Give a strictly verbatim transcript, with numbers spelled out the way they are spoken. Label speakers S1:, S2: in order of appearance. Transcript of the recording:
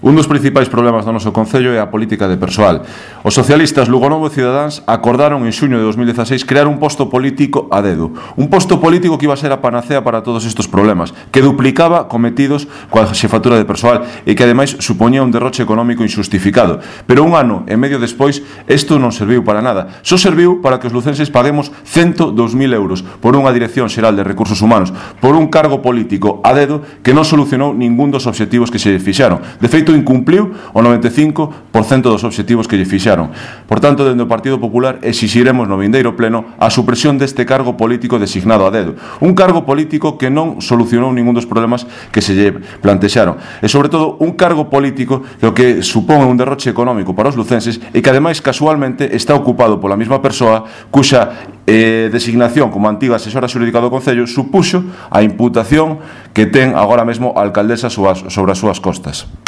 S1: Un dos principais problemas do noso Concello é a política de persoal. Os socialistas Lugonovo e Cidadáns acordaron en xuño de dos mil dezaseis crear un posto político a dedo. Un posto político que iba a ser a panacea para todos estes problemas, que duplicaba cometidos coa xefatura de persoal e que ademais supoñía un derroche económico injustificado. Pero un ano e medio despois, isto non serviu para nada. Só serviu para que os lucenses paguemos ciento dous mil euros por unha Dirección Xeral de Recursos Humanos, por un cargo político a dedo que non solucionou ningún dos obxectivos que se fixaron. De feito, incumpliu o noventa e cinco por cento dos obxectivos que lle fixaron. Por tanto, dende o Partido Popular exixiremos no vindeiro pleno a supresión deste cargo político designado a dedo. Un cargo político que non solucionou ningún dos problemas que se lle plantexaron. E, sobre todo, un cargo político que o que supón un derroche económico para os lucenses e que, ademais, casualmente está ocupado pola mesma persoa cuxa eh, designación como antiga asesora xurídica do Concello supuxo a imputación que ten agora mesmo a alcaldesa sobre as súas costas.